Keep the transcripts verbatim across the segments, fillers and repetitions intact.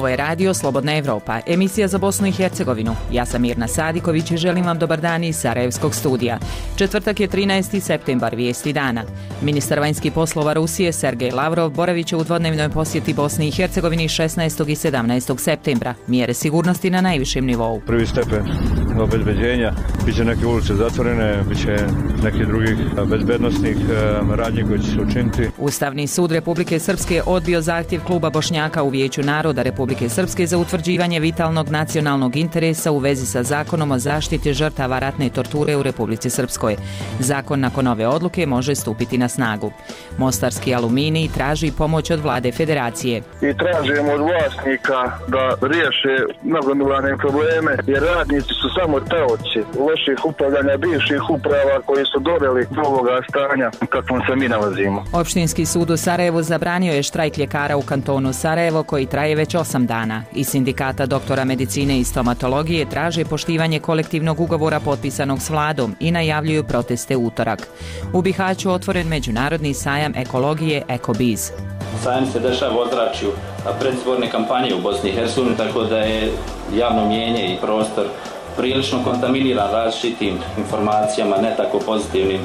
Ovo je radio Slobodna Evropa, emisija za Bosnu i Hercegovinu. Ja sam Mirna Sadiković i želim vam dobar dan iz Sarajevskog studija. Četvrtak je trinaesti septembar, vijesti dana. Ministar vanjskih poslova Rusije Sergej Lavrov boravit će u dvodnevnoj posjeti Bosni i Hercegovini šesnaestog i sedamnaestog septembra. Mjere sigurnosti na najvišem nivou. Prvi stepen obezbeđenja, biće neke ulice zatvorene, biće nekih drugih bezbednosnih radnji koje će se učiniti. Ustavni sud Republike Srpske odbio zahtjev kluba Bošnjaka u Vijeću naroda Republike Srpske za utvrđivanje vitalnog nacionalnog interesa u vezi sa zakonom o zaštiti žrtava ratne torture u Republici Srpskoj. Zakon nakon ove odluke može stupiti na snagu. Mostarski aluminij traži pomoć od vlade federacije. I tražimo od vlasnika da riješe nagomilane probleme, jer radnici su samo taoci loših upravljanja bivših uprava koji su doveli do ovoga stanja kakvom se mi nalazimo. Opštinski sud u Sarajevu zabranio je štrajk ljekara u kantonu Sarajevo koji traje već osam dana. Iz sindikata doktora medicine i stomatologije traže poštivanje kolektivnog ugovora potpisanog s vladom i najavljuju proteste utorak. U Bihaću otvoren međunarodni sajam ekologije EkoBiz. Sajam se dešava u ozračju predizborne kampanje u Bosni i Hercegovini, tako da je javno mnijenje i prostor prilično kontaminiran različitim informacijama, ne tako pozitivnim.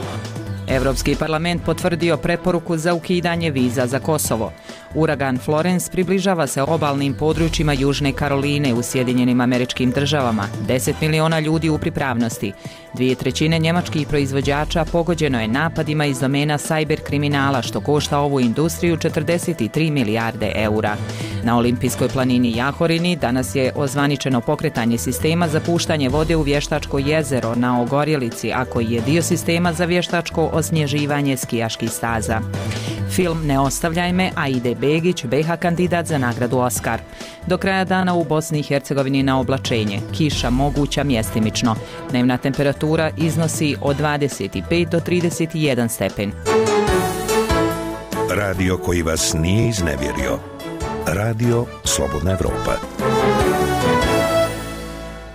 Evropski parlament potvrdio preporuku za ukidanje viza za Kosovo. Uragan Florence približava se obalnim područjima Južne Karoline u Sjedinjenim Američkim Državama. deset miliona ljudi u pripravnosti. Dvije trećine njemačkih proizvođača pogođeno je napadima iz domena sajber kriminala, što košta ovu industriju četrdeset tri milijarde eura. Na olimpijskoj planini Jahorini danas je ozvaničeno pokretanje sistema za puštanje vode u vještačko jezero na Ogorjelici, a koji je dio sistema za vještačko osnježivanje skijaških staza. Film Ne ostavljaj me, Aide Begić, B H kandidat za nagradu Oskar. Do kraja dana u Bosni i Hercegovini na oblačenje, kiša moguća mjestimično. Dnevna temperatura iznosi od dvadeset pet do trideset jedan stepen. Radio koji vas nije iznevjerio. Radio Slobodna Evropa.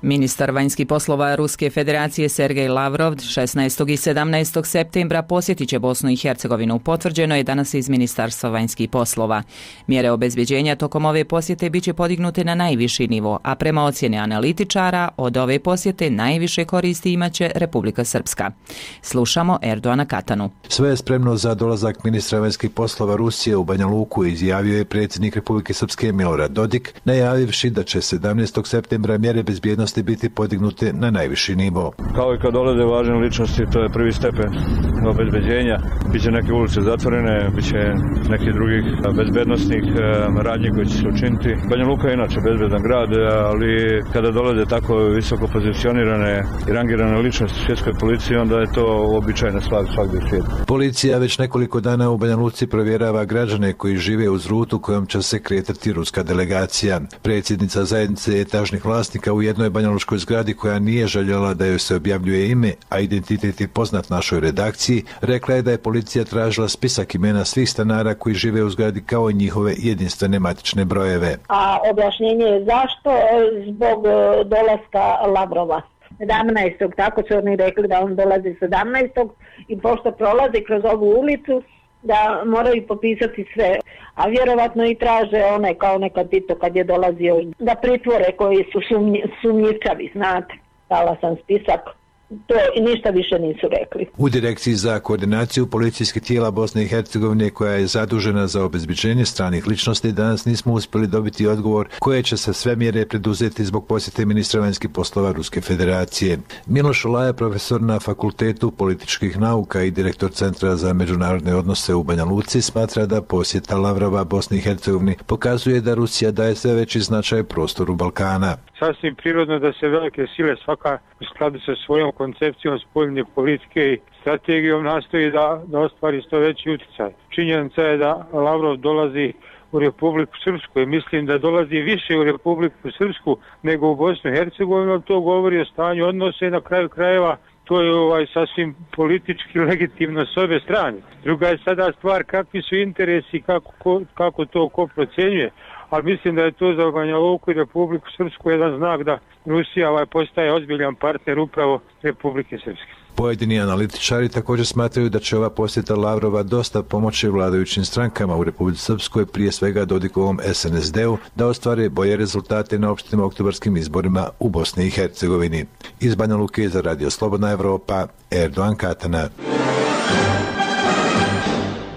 Ministar vanjskih poslova Ruske federacije Sergej Lavrov šesnaestog i sedamnaestog septembra posjetit će Bosnu i Hercegovinu. Potvrđeno je danas iz Ministarstva vanjskih poslova. Mjere obezbeđenja tokom ove posjete biće podignute na najviši nivo, a prema ocjeni analitičara od ove posjete najviše koristi imaće Republika Srpska. Slušamo Erdoana Katanu. Sve je spremno za dolazak ministra vanjskih poslova Rusije u Banja Luku, izjavio je predsjednik Republike Srpske Milorad Dodik, najavivši da će sedamnaestog septembra mjere bezbjednosti biti podignute na najviši nivo. Kao i kad dolaze važne ličnosti, to je prvi stepen obezbeđenja. Biće neke ulice zatvorene, biće nekih drugih bezbednosnih radnji koji će se učiniti. Banja Luka je inače bezbedan grad, ali kada dolaze tako visoko pozicionirane i rangirane ličnosti svjetskoj policiji, onda je to običajna stvar svakdje u svijetu. Policija već nekoliko dana u Banja Luci provjerava građane koji žive uz rutu kojom će se kretati ruska delegacija. Predsjednica zajednice etažnih vlasnika u jednoj banjalučkoj zgradi koja nije željela da joj se objavljuje ime, a identitet je poznat našoj redakciji, rekla je da je policija tražila spisak imena svih stanara koji žive u zgradi kao i njihove jedinstvene matične brojeve. A objašnjenje je zašto? Zbog dolaska Lavrova. sedamnaestog tako su oni rekli da on dolazi sedamnaestog i pošto prolazi kroz ovu ulicu, da moraju popisati sve, a vjerovatno i traže one kao nekad Tito kad je dolazio da pritvore koji su sumnji, sumnjivčavi, znate. Dala sam spisak, to i ništa više nisu rekli. U Direkciji za koordinaciju policijskih tijela Bosne i Hercegovine, koja je zadužena za obezbeđenje stranih ličnosti, danas nismo uspjeli dobiti odgovor koje će se sve mjere preduzeti zbog posjete ministra vanjskih poslova Ruske federacije. Miloš Olaja, profesor na Fakultetu političkih nauka i direktor Centra za međunarodne odnose u Banja Luci, smatra da posjeta Lavrova Bosni i Hercegovini pokazuje da Rusija daje sve veći značaj prostoru Balkana. Sasvim prirodno da se velike sile svaka u skladu sa svojom koncepcijom spoljne politike i strategijom nastoji da, da ostvari što veći utjecaj. Činjenica je da Lavrov dolazi u Republiku Srpsku i mislim da dolazi više u Republiku Srpsku nego u Bosnu i Hercegovinu, to govori o stanju odnose i na kraju krajeva to je ovaj sasvim politički legitimno s obe strane. Druga je sada stvar kakvi su interesi, kako, ko, kako to ko procjenjuje, ali mislim da je to za Banja Luku i Republiku Srpsku jedan znak da Rusija ovaj postaje ozbiljan partner upravo Republike Srpske. Pojedini analitičari također smatraju da će ova posjeta Lavrova dosta pomoći vladajućim strankama u Republici Srpskoj, prije svega Dodikovom S N S D-u, da ostvare bolje rezultate na opštim oktobarskim izborima u Bosni i Hercegovini. Iz Banja Luke za Radio Slobodna Evropa, Erdogan Katana.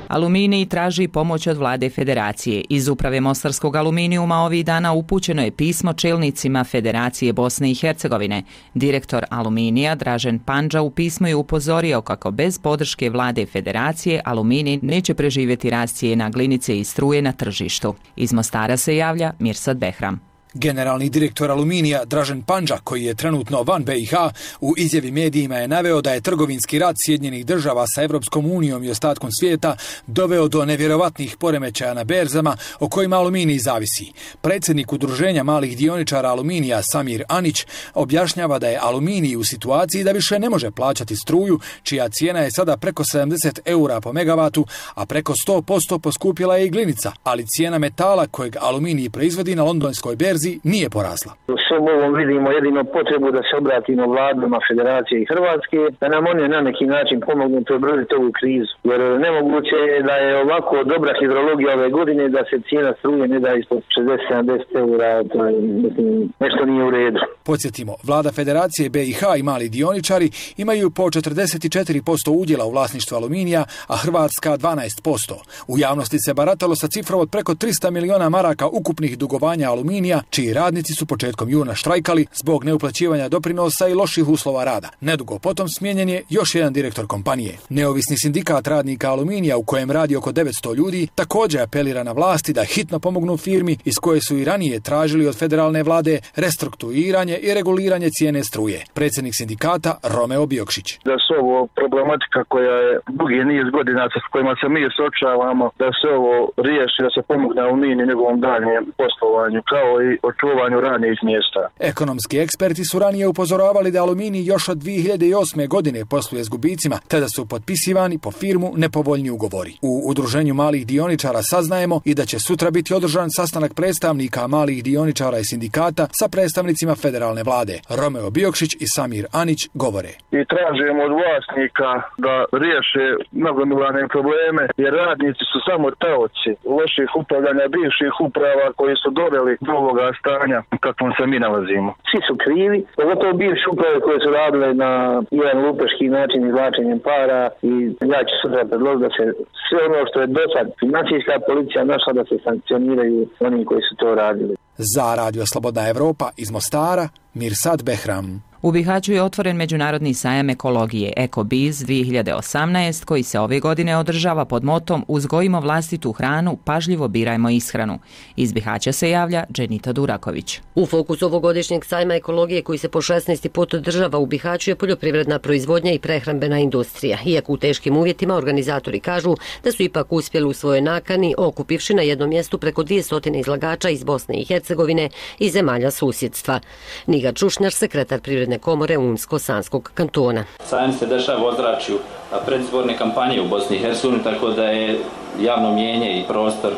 Aluminij traži pomoć od vlade Federacije. Iz uprave Mostarskog aluminijuma ovih dana upućeno je pismo čelnicima Federacije Bosne i Hercegovine. Direktor Aluminija Dražen Pandža u pismu je upozorio kako bez podrške vlade Federacije Aluminij neće preživjeti rast cijena glinice i struje na tržištu. Iz Mostara se javlja Mirsad Behram. Generalni direktor Aluminija Dražen Pandža, koji je trenutno van B i H, u izjavi medijima je naveo da je trgovinski rat Sjedinjenih država sa Evropskom unijom i ostatkom svijeta doveo do nevjerovatnih poremećaja na berzama o kojima Aluminij zavisi. Predsjednik udruženja malih dioničara Aluminija Samir Anić objašnjava da je Aluminij u situaciji da više ne može plaćati struju, čija cijena je sada preko sedamdeset eura po megavatu, a preko sto posto poskupila je i glinica, ali cijena metala kojeg Aluminij proizvodi na londonskoj berzi nije porasla. U svom ovom vidimo jedino potrebu da se obratimo vladama Federacije i Hrvatske, da nam oni na neki način pomognu prebroditi ovu krizu. Jer nemoguće je da je ovako dobra hidrologija ove godine da se cijena struje ne da ispod šezdeset do sedamdeset eura, to je, mislim, nešto nije u redu. Podsjetimo, vlada Federacije B i H i mali dioničari imaju po četrdeset četiri posto udjela u vlasništvu Aluminija, a Hrvatska dvanaest posto. U javnosti se baratalo sa cifrom od preko trista miliona maraka ukupnih dugovanja Aluminija, čiji radnici su početkom juna štrajkali zbog neuplaćivanja doprinosa i loših uslova rada. Nedugo potom smijenjen je još jedan direktor kompanije. Neovisni sindikat radnika Aluminija, u kojem radi oko devetsto ljudi, također apelira na vlasti da hitno pomognu firmi iz koje su i ranije tražili od federalne vlade restrukturiranje i reguliranje cijene struje. Predsjednik sindikata Romeo Biokšić. Da su ovo problematika koja je dugi niz godina s kojima se mi suočavamo, da se ovo riješi, da se pomogne Aluminiju i njegovom daljem poslovanju, kao i očuvanju radnih mjesta. Ekonomski eksperti su ranije upozoravali da Aluminij još od dvije hiljade osme. godine posluje s gubicima, te da su potpisivani po firmu nepovoljni ugovori. U udruženju malih dioničara saznajemo i da će sutra biti održan sastanak predstavnika malih dioničara i sindikata sa predstavnicima federalne vlade. Romeo Biokšić i Samir Anić govore. I tražimo od vlasnika da riješe nagomilane probleme, jer radnici su samo taoci loših upravljanja bivših uprava koji su doveli do ovoga stanja kakvom se mi nalazimo. Svi su krivi, pogotovo bivše uprave koje su radile na jedan lupeški način izvlačenjem para, i ja ću sutra predložiti da se sve ono što je do sad financijska policija našla da se sankcioniraju oni koji su to radili. Za Radio Slobodna Evropa iz Mostara, Mirsad Behram. U Bihaću je otvoren međunarodni sajam ekologije EkoBiz dvije hiljade osamnaest koji se ove godine održava pod motom Uzgojimo vlastitu hranu, pažljivo birajmo ishranu. Iz Bihaća se javlja Dženita Duraković. U fokusu ovogodišnjeg sajma ekologije koji se po šesnaesti put održava u Bihaću je poljoprivredna proizvodnja i prehrambena industrija. Iako u teškim uvjetima organizatori kažu da su ipak uspjeli u svojoj nakani, okupivši na jednom mjestu preko dvjesto izlagača iz Bosne i Hercegovine i zemalja susjedstva. Niga Čušnjar, sekretar Privredne komore Unsko-Sanskog kantona. Sajam se dešava u ozračju predizborne kampanje u Bosni i Hercegovini, tako da je javno mnijenje i prostor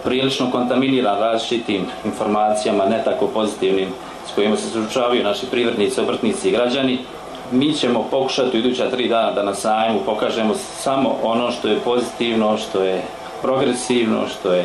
prilično kontaminiran različitim informacijama, ne tako pozitivnim, s kojima se suočavaju naši privrednici, obrtnici i građani. Mi ćemo pokušati u iduća tri dana da na sajmu pokažemo samo ono što je pozitivno, što je progresivno, što je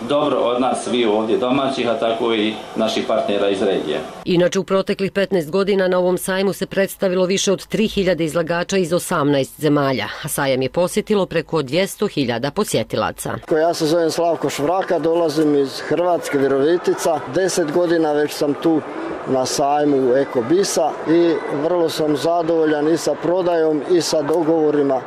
dobro od nas svi ovdje domaćih, a tako i naših partnera iz regije. Inače, u proteklih petnaest godina na ovom sajmu se predstavilo više od tri hiljade izlagača iz osamnaest zemalja, a sajam je posjetilo preko dvjesto hiljada posjetilaca. Ja se zovem Slavko Švraka, dolazim iz Hrvatske, Virovitica. Deset godina već sam tu na sajmu EkoBisa i vrlo sam zadovoljan i sa prodajom i sa dogovorima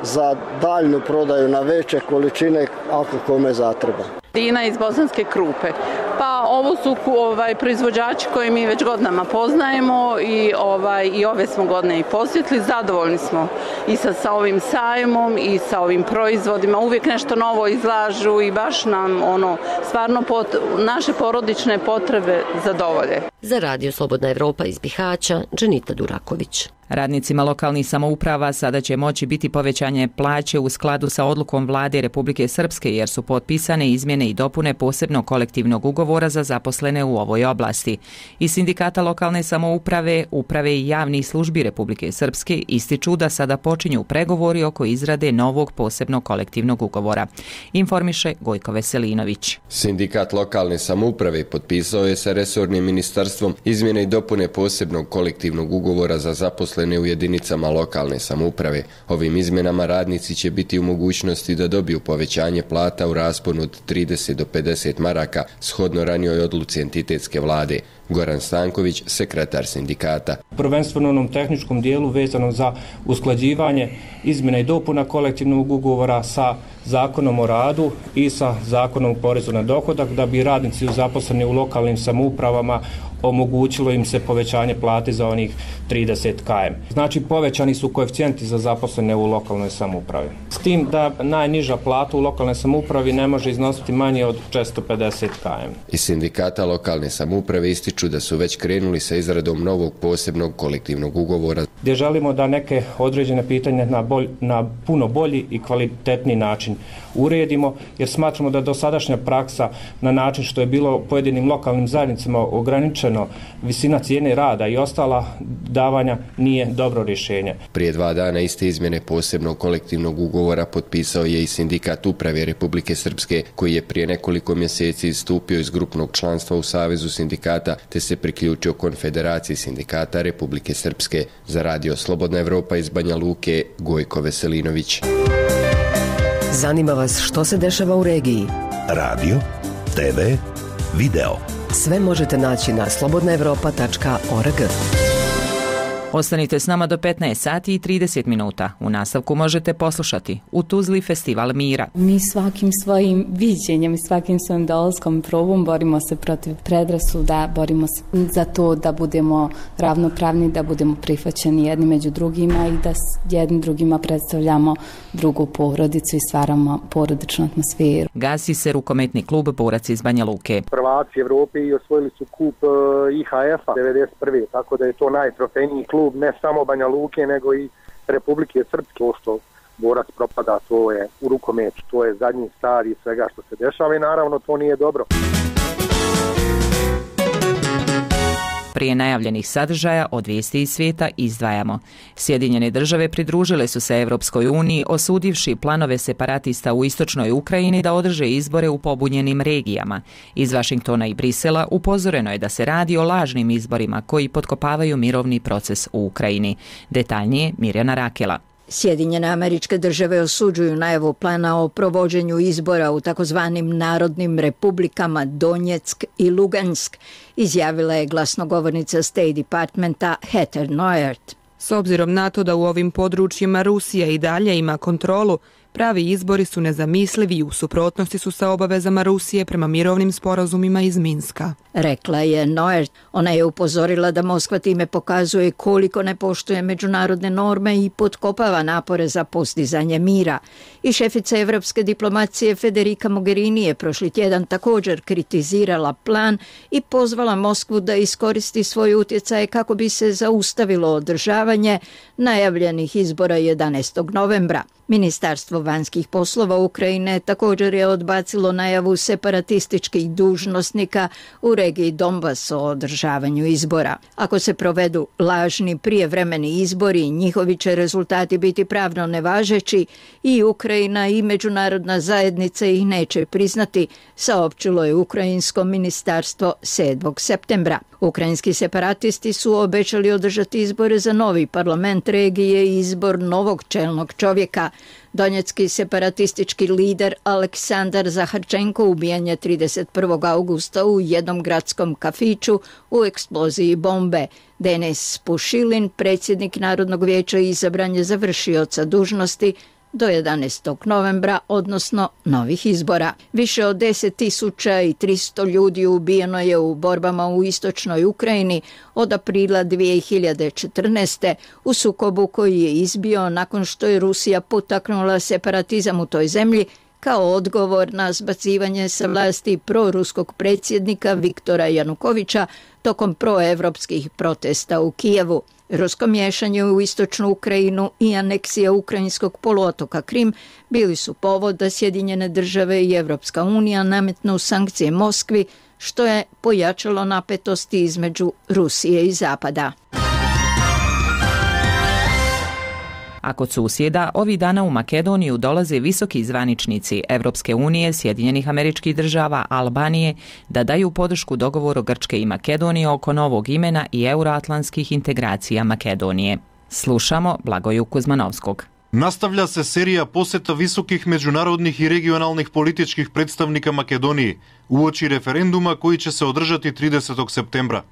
za daljnu prodaju na veće količine ako kome zatreba. Dina iz Bosanske Krupe. Pa ovo su ovaj, proizvođači koje mi već godinama poznajemo i, ovaj, i ove smo godine i posjetili. Zadovoljni smo i sa, sa ovim sajmom i sa ovim proizvodima. Uvijek nešto novo izlažu i baš nam ono, stvarno pot, naše porodične potrebe zadovolje. Za Radio Slobodna Evropa iz Bihaća, Dženita Duraković. Radnicima lokalnih samouprava sada će moći biti povećanje plaće u skladu sa odlukom Vlade Republike Srpske jer su potpisane izmjene i dopune posebnog kolektivnog ugovora za zaposlene u ovoj oblasti. Iz Sindikata lokalne samouprave, uprave i javnih službi Republike Srpske ističu da sada počinju pregovori oko izrade novog posebnog kolektivnog ugovora. Informiše Gojko Veselinović. Sindikat lokalne samouprave potpisao je sa resornim ministarstvom izmjene i dopune posebnog kolektivnog ugovora za zaposlene u jedinicama lokalne samouprave. Ovim izmjenama radnici će biti u mogućnosti da dobiju povećanje plata u rasponu od trideset do pedeset maraka, shodno ranijoj odluci entitetske vlade. Goran Stanković, sekretar sindikata. Prvenstveno u onom tehničkom dijelu vezano za usklađivanje izmjena i dopuna kolektivnog ugovora sa zakonom o radu i sa zakonom o porezu na dohodak, da bi radnici zaposleni u lokalnim samoupravama omogućilo im se povećanje plate za onih trideset kilometara. Znači povećani su koeficijenti za zaposlene u lokalnoj samoupravi. S tim da najniža plata u lokalnoj samoupravi ne može iznositi manje od četiristo pedeset kilometara. Iz sindikata lokalne samouprave ističu da su već krenuli sa izradom novog posebnog kolektivnog ugovora, gdje želimo da neke određene pitanja na, bolj, na puno bolji i kvalitetniji način uredimo, jer smatramo da dosadašnja praksa na način što je bilo pojedinim lokalnim zajednicama ograničeno visina cijene rada i ostala davanja nije dobro rješenje. Prije dva dana iste izmjene posebnog kolektivnog ugovora potpisao je i Sindikat uprave Republike Srpske, koji je prije nekoliko mjeseci istupio iz grupnog članstva u Savezu sindikata te se priključio Konfederaciji sindikata Republike Srpske. Za Radio Slobodna Evropa iz Banja Luke, Gojko Veselinović. Zanima vas što se dešava u regiji? Radio, te ve, video. Sve možete naći na slobodna evropa tačka org. Ostanite s nama do petnaest sati i trideset minuta. U nastavku možete poslušati U Tuzli festival mira. Mi svakim svojim viđenjem i svakim svojim dolaskom probom borimo se protiv predrasuda, borimo se za to da budemo ravnopravni, da budemo prihvaćeni jedni među drugima i da jednim drugima predstavljamo drugu porodicu i stvaramo porodičnu atmosferu. Gasi se rukometni klub Borac iz Banja Luke. Prvaci Evrope i osvojili su kup I H F-a devedeset prve. Tako da je to najtrofejniji klub ne samo Banja Luke, nego i Republike Srpske. Što Borac propada, to je u rukometu, to je zadnji stadij svega što se dešava i naravno to nije dobro. Prije najavljenih sadržaja od vijesti iz svijeta izdvajamo. Sjedinjene države pridružile su se Evropskoj uniji osudivši planove separatista u istočnoj Ukrajini da održe izbore u pobunjenim regijama. Iz Vašingtona i Brisela upozoreno je da se radi o lažnim izborima koji potkopavaju mirovni proces u Ukrajini. Detaljnije Mirjana Rakela. Sjedinjene Američke Države osuđuju najavu plana o provođenju izbora u takozvanim narodnim republikama Donjeck i Lugansk, izjavila je glasnogovornica State Departmenta Heather Nauert. S obzirom na to da u ovim područjima Rusija i dalje ima kontrolu, pravi izbori su nezamislivi i u suprotnosti su sa obavezama Rusije prema mirovnim sporazumima iz Minska. Rekla je Nauert. Ona je upozorila da Moskva time pokazuje koliko ne poštuje međunarodne norme i potkopava napore za postizanje mira. I šefica evropske diplomacije Federica Mogherini je prošli tjedan također kritizirala plan i pozvala Moskvu da iskoristi svoj utjecaj kako bi se zaustavilo održavanje najavljenih izbora jedanaestog novembra. Ministarstvo vanjskih poslova Ukrajine također je odbacilo najavu separatističkih dužnosnika u regiji Donbas o održavanju izbora. Ako se provedu lažni prijevremeni izbori, njihovi će rezultati biti pravno nevažeći i Ukrajina i međunarodna zajednica ih neće priznati, saopćilo je Ukrajinsko ministarstvo sedmog septembra. Ukrajinski separatisti su obećali održati izbore za novi parlament regije i izbor novog čelnog čovjeka. Donjecki separatistički lider Aleksandar Zaharčenko ubijen je trideset prvog augusta u jednom gradskom kafiću u eksploziji bombe. Denis Pušilin, predsjednik Narodnog vijeća, izabran je za vršioca dužnosti do jedanaestog novembra, odnosno novih izbora. Više od deset tisuća tristo ljudi ubijeno je u borbama u istočnoj Ukrajini od aprila dvije hiljade četrnaeste. u sukobu koji je izbio nakon što je Rusija potaknula separatizam u toj zemlji kao odgovor na zbacivanje sa vlasti proruskog predsjednika Viktora Janukovića tokom proevropskih protesta u Kijevu. Rusko miješanje u istočnu Ukrajinu i aneksija ukrajinskog poluotoka Krim bili su povod da Sjedinjene države i Evropska unija nametnu sankcije Moskvi, što je pojačalo napetosti između Rusije i Zapada. A kod susjeda, ovih dana u Makedoniju dolaze visoki zvaničnici Evropske unije, Sjedinjenih Američkih Država, Albanije, da daju podršku dogovoru Grčke i Makedonije oko novog imena i euroatlantskih integracija Makedonije. Slušamo Blagoju Kuzmanovskog. Nastavlja se serija poseta visokih međunarodnih i regionalnih političkih predstavnika Makedonije uoči referenduma koji će se održati tridesetog septembra.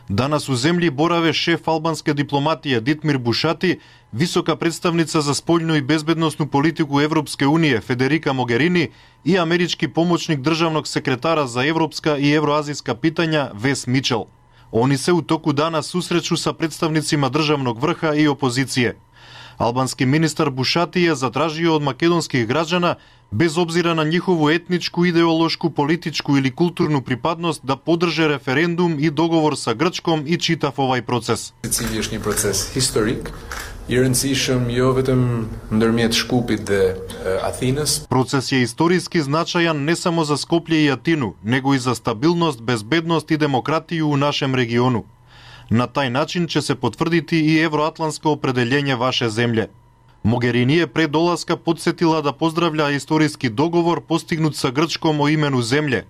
Danas u zemlji borave šef albanske diplomatije Ditmir Bušati, visoka predstavnica za spoljnu i bezbednosnu politiku Evropske unije Federica Mogherini i američki pomoćnik državnog sekretara za evropska i evroazijska pitanja Wes Mitchell. Oni se u toku dana susreću sa predstavnicima državnog vrha i opozicije. Albanski ministar Bušati je zatražio od makedonskih građana, bez obzira na njihovu etničku, ideološku, političku ili kulturnu pripadnost, da podrže referendum i dogovor sa Grčkom i čitav ovaj proces. Cilješnji proces historik, Jërëndësishëm jo vetëm ndërmjet Shkupit dhe Athinës. Proces je istorijski značajan ne samo za Skoplje i Atinu, nego i za stabilnost, bezbednost i demokratiju u našem regionu. Na taj način će se potvrditi i evroatlantsko opredeljenje vaše zemlje. Mogherini je pre dolaska podsjetila da pozdravlja istorijski dogovor postignut sa Grčkom o imenu zemlje,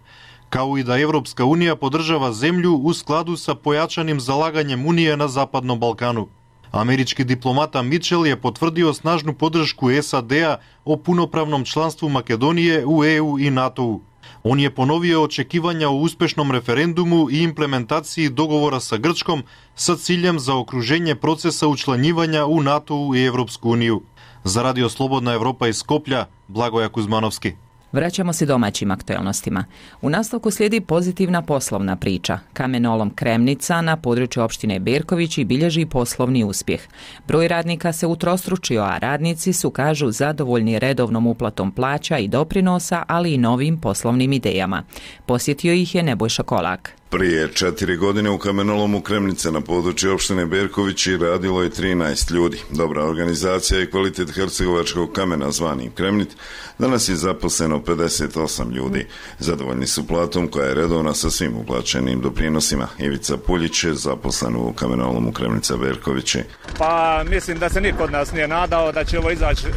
kao i da Evropska unija podržava zemlju u skladu sa pojačanim zalaganjem Unije na Zapadnom Balkanu. Američki diplomata Mitchell je potvrdio snažnu podršku S A D-a o punopravnom članstvu Makedonije u E U i NATO-u. On je ponovio očekivanja o uspešnom referendumu i implementaciji dogovora sa Grčkom sa ciljem za okruženje procesa učlanjivanja u NATO-u i Evropsku uniju. Za Radio Slobodna Evropa iz Skoplja, Blagoja Kuzmanovski. Vraćamo se domaćim aktuelnostima. U nastavku slijedi pozitivna poslovna priča. Kamenolom Kremnica na području opštine Berkovići bilježi poslovni uspjeh. Broj radnika se utrostručio, a radnici su, kažu, zadovoljni redovnom uplatom plaća i doprinosa, ali i novim poslovnim idejama. Posjetio ih je Nebojša Kolak. Prije četiri godine u Kamenolomu Kremnice na području opštine Berkovići radilo je trinaest ljudi. Dobra organizacija i kvalitet hercegovačkog kamena zvani Kremnit, danas je zaposleno pedeset osam ljudi. Zadovoljni su platom koja je redovna sa svim uplaćenim doprinosima. Ivica Puljić je zaposlen u Kamenolomu Kremnica Berkovići. Pa mislim da se niko od nas nije nadao da će ovo izaći e,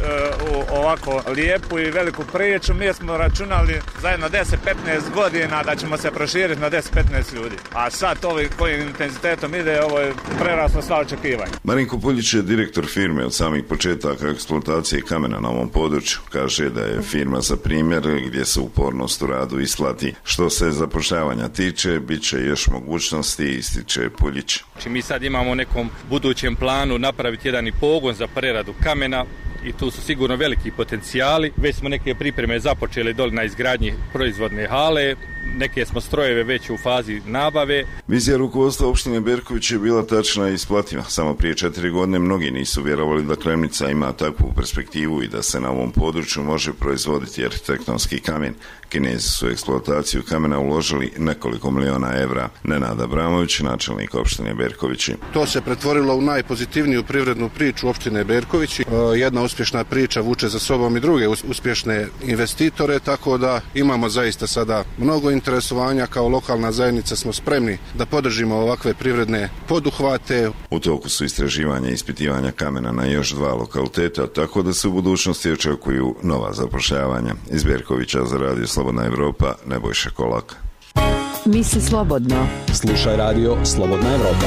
u ovako lijepu i veliku priču. Mi smo računali zajedno deset do petnaest godina da ćemo se proširiti na deset do petnaest ljudi. A sad ovi kojim intenzitetom ide, ovo je preraslo sva očekivanja. Marinko Puljić je direktor firme od samih početaka eksploatacije kamena na ovom području. Kaže da je firma za primjer gdje se upornost u radu isplati. Što se zapošljavanja tiče, bit će još mogućnosti, ističe Puljić. Mi sad imamo u nekom budućem planu napraviti jedan i pogon za preradu kamena i tu su sigurno veliki potencijali. Već smo neke pripreme započeli doli na izgradnji proizvodne hale, neke smo strojeve već u fazi nabave. Vizija rukovodstva opštine Berković je bila tačna i isplativa. Samo prije četiri godine mnogi nisu vjerovali da Kremnica ima takvu perspektivu i da se na ovom području može proizvoditi arhitektonski kamen. Kinezi su u eksploataciju kamena uložili nekoliko miliona evra. Nenad Abramović, načelnik opštine Berkovići. To se pretvorilo u najpozitivniju privrednu priču opštine Berkovići. Jedna uspješna priča vuče za sobom i druge uspješne investitore, tako da imamo zaista sada mnogo interesovanja. Kao lokalna zajednica smo spremni da podržimo ovakve privredne poduhvate. U toku su istraživanja i ispitivanja kamena na još dva lokaliteta, tako da se u budućnosti očekuju nova zapošljavanja. Iz Berkovića za Radio Slobodna Evropa, Nebojša Kolak. Misli slobodno. Slušaj Radio Slobodna Evropa.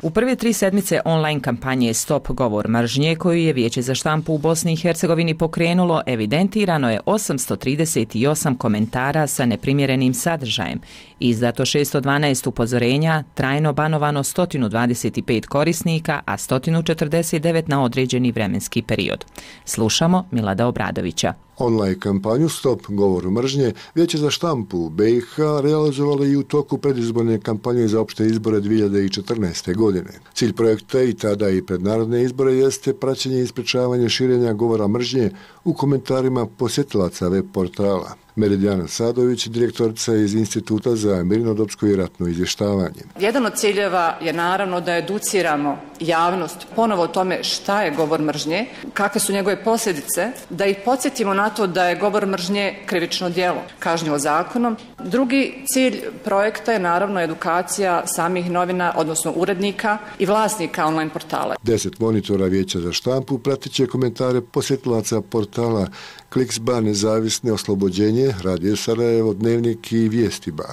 U prve tri sedmice online kampanje Stop govor mržnje, koju je Vijeće za štampu u Bosni i Hercegovini pokrenulo, evidentirano je osamsto trideset osam komentara sa neprimjerenim sadržajem Izdato šesto dvanaest upozorenja, trajno banovano sto dvadeset pet korisnika, a sto četrdeset devet na određeni vremenski period. Slušamo Milada Obradovića. Online kampanju Stop govoru mržnje Vijeće za štampu u B i H realizovalo i u toku predizborne kampanje za opšte izbore dvije hiljade četrnaeste. godine. Cilj projekta i tada i pred narodne izbore jeste praćenje i sprečavanje širenja govora mržnje u komentarima posjetilaca web portala. Meridijana Sadović, direktorica iz Instituta za mirnodopsko i ratno izvještavanje. Jedan od ciljeva je naravno da educiramo javnost ponovo o tome šta je govor mržnje, kakve su njegove posljedice, da ih podsjetimo na to da je govor mržnje krivično djelo, kažnjivo zakonom. Drugi cilj projekta je naravno edukacija samih novina, odnosno urednika i vlasnika online portala. Deset monitora Vijeća za štampu pratit će komentare posjetilaca portala Kliksba, Nezavisne, Oslobođenje, Radio Sarajevo, Dnevnik i Vijestiba.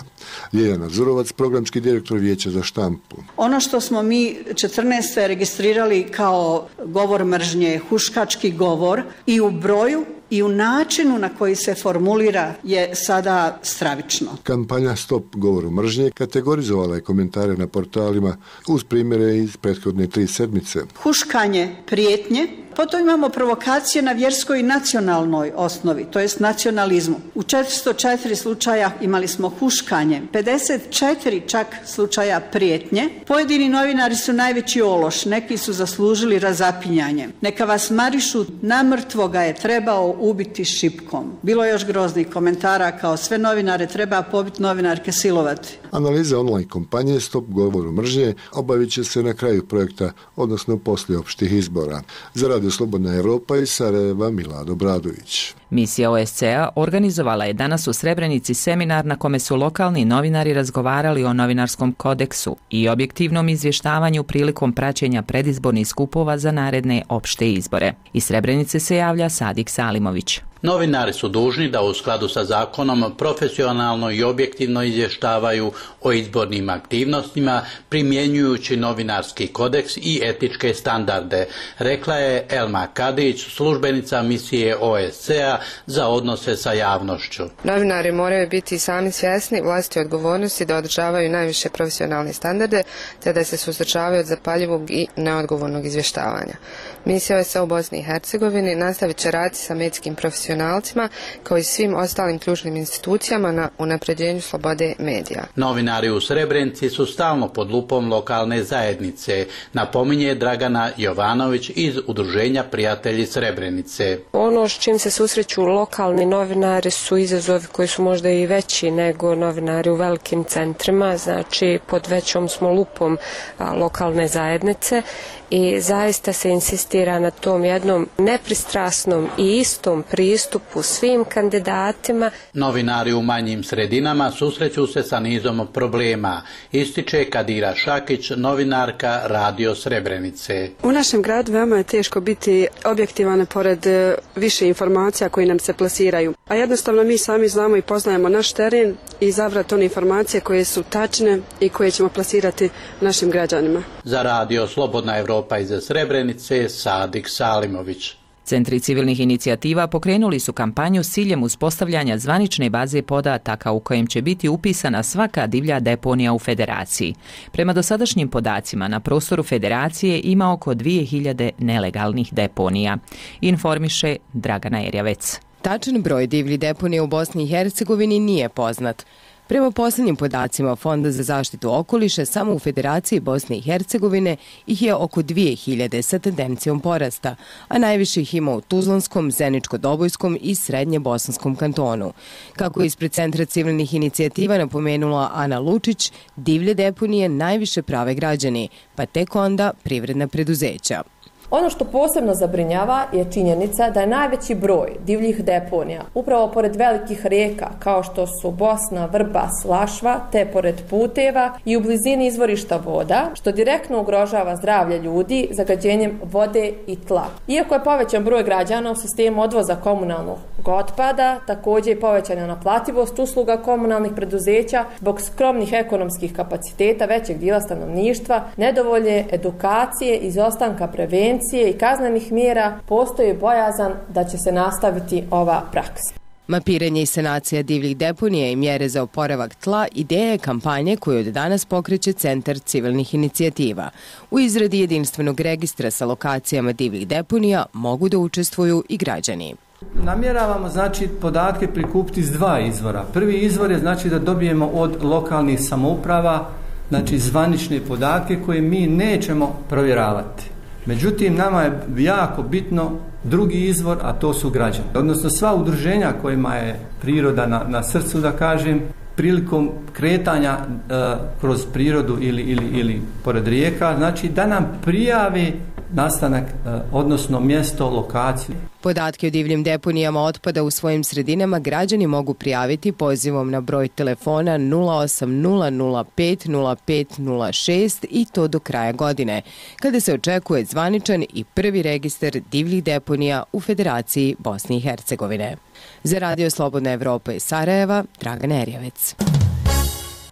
Ljeljana Zurovac, programski direktor Vijeća za štampu. Ono što smo mi četrnaeste registrirali kao govor mržnje, huškački govor, i u broju i u načinu na koji se formulira je sada stravično. Kampanja Stop govoru mržnje kategorizovala je komentare na portalima uz primjere iz prethodne tri sedmice. Huškanje, prijetnje, potom imamo provokacije na vjerskoj i nacionalnoj osnovi, to jest nacionalizmu. U četiristo četiri slučaja imali smo huškanje, pedeset četiri čak slučaja prijetnje. Pojedini novinari su najveći ološ, neki su zaslužili razapinjanje. Neka vas marišu, namrtvo ga je trebao ubiti šipkom. Bilo je još groznih komentara kao sve novinare treba pobiti, novinarke silovati. Analiza online kampanje Stop govoru mržnje obavit će se na kraju projekta, odnosno poslije opštih izbora. Za Radio Slobodna Evropa iz Sarajeva Milada Obradović. Misija O S C A organizovala je danas u Srebrenici seminar na kome su lokalni novinari razgovarali o novinarskom kodeksu i objektivnom izvještavanju prilikom praćenja predizbornih skupova za naredne opšte izbore. Iz Srebrenice se javlja Sadik Salimović. Novinari su dužni da u skladu sa zakonom profesionalno i objektivno izvještavaju o izbornim aktivnostima primjenjujući novinarski kodeks i etičke standarde, rekla je Elma Kadić, službenica misije O S C A za odnose sa javnošću. Novinari moraju biti sami svjesni vlastite odgovornosti da održavaju najviše profesionalne standarde te da se suzdržavaju od zapaljivog i neodgovornog izvještavanja. Misija O S C A u Bosni i Hercegovini nastavit će raditi sa medijskim profesionalcima kao i svim ostalim ključnim institucijama na unapređenju slobode medija. Novinari u Srebrenici su stalno pod lupom lokalne zajednice, napominje Dragana Jovanović iz Udruženja Prijatelji Srebrenice. Ono s čim se susreću lokalni novinari su izazovi koji su možda i veći nego novinari u velikim centrima, znači pod većom smo lupom a, lokalne zajednice i zaista se insistira na tom jednom nepristrasnom i istom pristupu svim kandidatima. Novinari u manjim sredinama susreću se sa nizom problema, ističe Kadira Šakić, novinarka Radio Srebrenice. U našem gradu veoma je teško biti objektivan pored više informacija koji nam se plasiraju. A jednostavno mi sami znamo i poznajemo naš teren i izabrati one informacije koje su tačne i koje ćemo plasirati našim građanima. Za Radio Slobodna Evropa iz Srebrenice, Sadik Salimović. Centri civilnih inicijativa pokrenuli su kampanju s ciljem uspostavljanja zvanične baze podataka u kojem će biti upisana svaka divlja deponija u Federaciji. Prema dosadašnjim podacima, na prostoru Federacije ima oko dvije hiljade nelegalnih deponija, informiše Dragana Erjavec. Tačan broj divljih deponija u Bosni i Hercegovini nije poznat. Prema posljednjim podacima Fonda za zaštitu okoliša, samo u Federaciji Bosne i Hercegovine ih je oko dvije hiljade sa tendencijom porasta, a najviše ih ima u Tuzlanskom, Zeničko-Dobojskom i Srednje-Bosanskom kantonu. Kako je ispred Centra civilnih inicijativa napomenula Ana Lučić, divlje deponije najviše prave građani, pa tek onda privredna preduzeća. Ono što posebno zabrinjava je činjenica da je najveći broj divljih deponija upravo pored velikih rijeka kao što su Bosna, Vrbas, Lašva, te pored puteva i u blizini izvorišta voda, što direktno ugrožava zdravlje ljudi zagađenjem vode i tla. Iako je povećan broj građana u sistemu odvoza komunalnog otpada, također je povećana naplativost usluga komunalnih preduzeća zbog skromnih ekonomskih kapaciteta većeg dijela stanovništva, nedovoljne edukacije, izostanka prevencije i kaznenih mjera, postoji bojazan da će se nastaviti ova praksa. Mapiranje i sanacija divljih deponija i mjere za oporavak tla ideja je kampanje koju od danas pokreće Centar civilnih inicijativa. U izradi jedinstvenog registra sa lokacijama divljih deponija mogu da učestvuju i građani. Namjeravamo znači podatke prikupiti iz dva izvora. Prvi izvor je znači da dobijemo od lokalnih samouprava znači zvanične podatke koje mi nećemo provjeravati. Međutim, nama je jako bitno drugi izvor, a to su građani. Odnosno sva udruženja kojima je priroda na, na srcu, da kažem, prilikom kretanja e, kroz prirodu ili, ili, ili pored rijeka, znači da nam prijavi nastanak, e, odnosno mjesto, lokaciju. Podatke o divljim deponijama otpada u svojim sredinama građani mogu prijaviti pozivom na broj telefona nula osam nula nula pet nula pet nula šest i to do kraja godine, kada se očekuje zvaničan i prvi registar divljih deponija u Federaciji Bosne i Hercegovine. Za Radio Slobodna Evropa iz Sarajeva, Dragan Erjevec.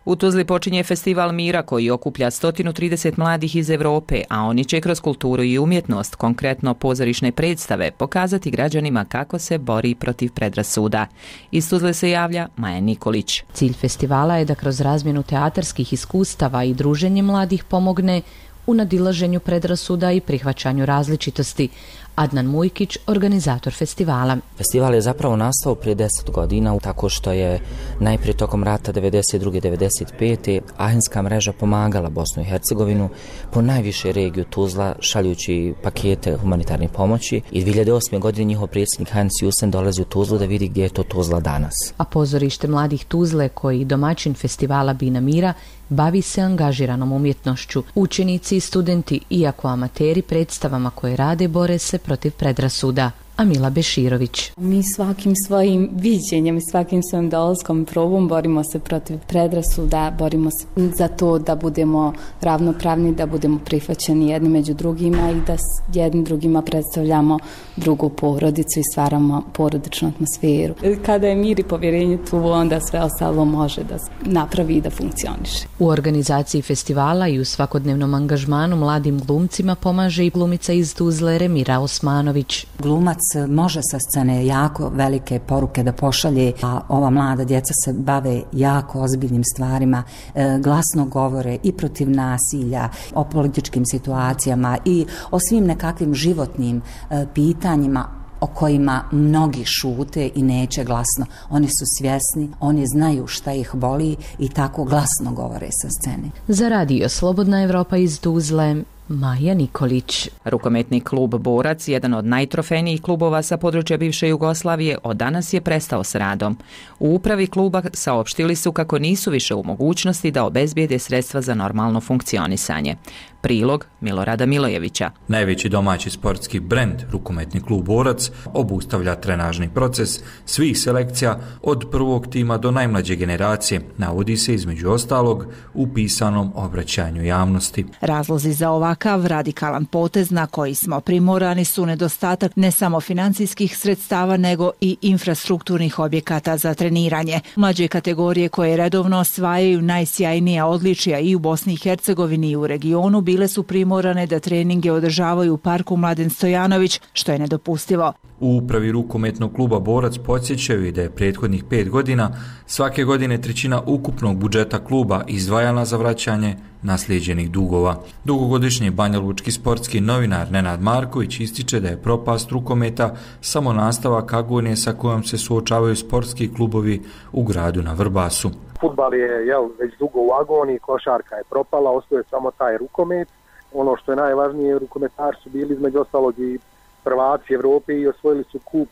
U Tuzli počinje festival mira koji okuplja sto trideset mladih iz Evrope, a oni će kroz kulturu i umjetnost, konkretno pozorišne predstave, pokazati građanima kako se bori protiv predrasuda. Iz Tuzle se javlja Maja Nikolić. Cilj festivala je da kroz razmjenu teatarskih iskustava i druženje mladih pomogne u nadilaženju predrasuda i prihvaćanju različitosti. Adnan Mujkić, organizator festivala. Festival je zapravo nastao prije deset godina, tako što je najprije tokom rata devedeset druge devedeset pete ahenska mreža pomagala Bosnu i Hercegovinu po najviše regiju Tuzla, šaljući pakete humanitarne pomoći, i dvije hiljade osme. godine njihov predsjednik Hans Jusen dolazi u Tuzlu da vidi gdje je to Tuzla danas. A pozorište mladih Tuzle, koji domaćin festivala Bina mira, bavi se angažiranom umjetnošću. Učenici i studenti, iako amateri, predstavama koje rade bore se protiv predrasuda. Amila Beširović. Mi svakim svojim viđenjem i svakim svojim dolaskom probom borimo se protiv predrasuda, borimo se za to da budemo ravnopravni, da budemo prihvaćeni jedni među drugima i da jedni drugima predstavljamo drugu porodicu i stvaramo porodičnu atmosferu. Kada je mir i povjerenje tu, onda sve ostalo može da napravi i da funkcioniše. U organizaciji festivala i u svakodnevnom angažmanu mladim glumcima pomaže i glumica iz Tuzle Remira Osmanović. Glumac može sa scene jako velike poruke da pošalje, a ova mlada djeca se bave jako ozbiljnim stvarima, e, glasno govore i protiv nasilja, o političkim situacijama i o svim nekakvim životnim e, pitanjima o kojima mnogi šute i neće glasno. Oni su svjesni, oni znaju šta ih boli i tako glasno govore sa scene. Za Radio Slobodna Evropa iz Tuzle, Maja Nikolić. Rukometni klub Borac, jedan od najtrofejnijih klubova sa područja bivše Jugoslavije, od danas je prestao s radom. U upravi kluba saopštili su kako nisu više u mogućnosti da obezbijede sredstva za normalno funkcionisanje. Prilog Milorada Milojevića. Najveći domaći sportski brend, rukometni klub Borac, obustavlja trenažni proces svih selekcija od prvog tima do najmlađe generacije, navodi se između ostalog u pisanom obraćanju javnosti. Razlozi za ovakav radikalan potez na koji smo primorani su nedostatak ne samo financijskih sredstava nego i infrastrukturnih objekata za treniranje. Mlađe kategorije koje redovno osvajaju najsjajnija odličija i u Bosni i Hercegovini i u regionu bile su primorane da treninge održavaju u parku Mladen Stojanović, što je nedopustivo. U upravi rukometnog kluba Borac podsjećaju i da je prethodnih pet godina svake godine trećina ukupnog budžeta kluba izdvajana za vraćanje naslijeđenih dugova. Dugogodišnji banjalučki sportski novinar Nenad Marković ističe da je propast rukometa samo nastavak agonije sa kojom se suočavaju sportski klubovi u gradu na Vrbasu. Fudbal je jel, već dugo u agoniji, košarka je propala, ostaje samo taj rukomet. Ono što je najvažnije, rukometaši su bili između ostalog i prvaci Evrope i osvojili su kup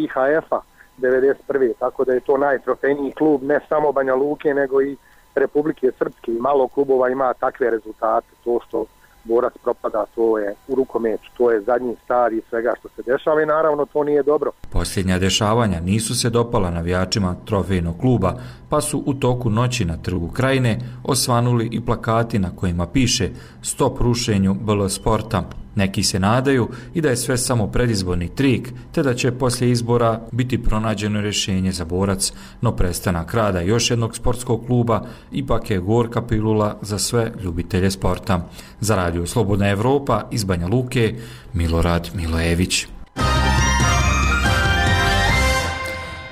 I H F-a devedeset prve. Tako da je to najtrofejniji klub ne samo Banja Luke nego i Republike Srpske. I malo klubova ima takve rezultate. To što Borac propada, to je u rukometu, to je zadnji stadij svega što se dešava i naravno to nije dobro. Posljednja dešavanja nisu se dopala navijačima trofejnog kluba, pa su u toku noći na Trgu Krajine osvanuli i plakati na kojima piše Stop rušenju B L sporta. Neki se nadaju i da je sve samo predizborni trik, te da će poslije izbora biti pronađeno rješenje za Borac, no prestanak rada još jednog sportskog kluba ipak je gorka pilula za sve ljubitelje sporta. Za Radio Slobodna Evropa iz Banja Luke, Milorad Milojević.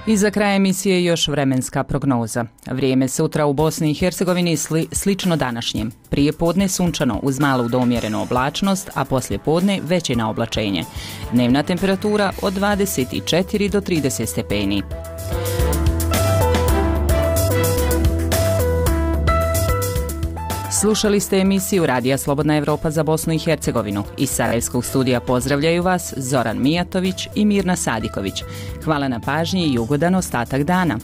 I za kraj emisije još vremenska prognoza. Vrijeme sutra u Bosni i Hercegovini sli, slično današnjem. Prije podne sunčano uz malu do umjerenu oblačnost, a poslije podne veće na oblačenje. Dnevna temperatura od dvadeset četiri do trideset stepeni. Slušali ste emisiju Radija Slobodna Evropa za Bosnu i Hercegovinu. Iz Sarajevskog studija pozdravljaju vas Zoran Mijatović i Mirna Sadiković. Hvala na pažnji i ugodan ostatak dana.